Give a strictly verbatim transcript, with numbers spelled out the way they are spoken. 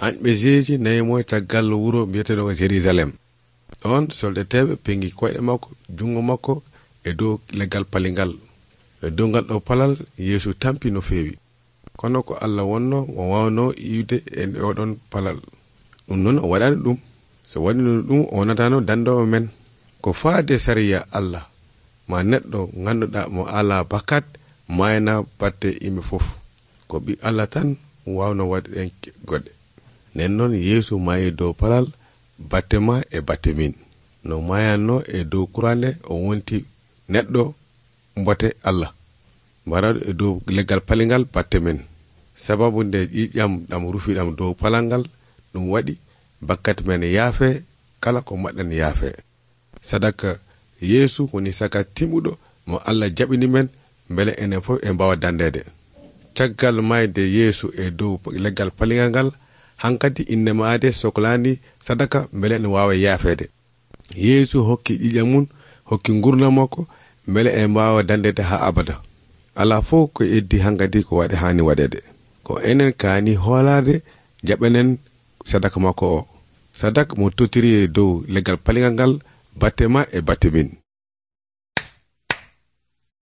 anɓe jeeji nayimo caggal wuro biyeteɗo Jerusalem. Ɗon soldateɓe pengi koyɗe makko jungo makko e dow leggal palingal. E dow ngal ɗo palal Yeesu tampi no feewi. Kono ko Allah wonno o wawno iwde e oɗon palal. Ɗum non o waɗani ɗum. So waɗino ɗum o wonatano dandowo men. Ko faade sariya Allah ma neɗɗo ganduɗa mo ala bakat mayna batte ime fof. Ko ɓi Allah tan wawno waɗi en goɗɗe. Nen noon Yeesu mayi dow palal batte ma e batte min. No mayanno e dow kurande o wonti neɗɗo mbote Allah. Mbaraɗo e dow leggal palingal batte men. Sababu nde ƴiƴam ɗam rufiɗam dow palangal ɗum waɗi bakkati men yaafe kala ko maɗɗen yaafe. Sadaka Yeesu woni saka timmuɗo mo Allah jaɓini men bele enen fof e mbawa dandede. Caggal mayde Yeesu e dow leggal palingal ngal hankadi inne maade soklani sadaka bele en wawa yaafede. Yeesu hokki ƴiƴam mun hokki gurdam makko bele en mbawa dandede ha abada. Ala fof ko eddi hankadi ko waɗe hani waɗede. Ko enen kaani hoolade jaɓenen sadaka makko o. Sadaka mo totiri e dow leggal palingal ngal batte ma e batte min.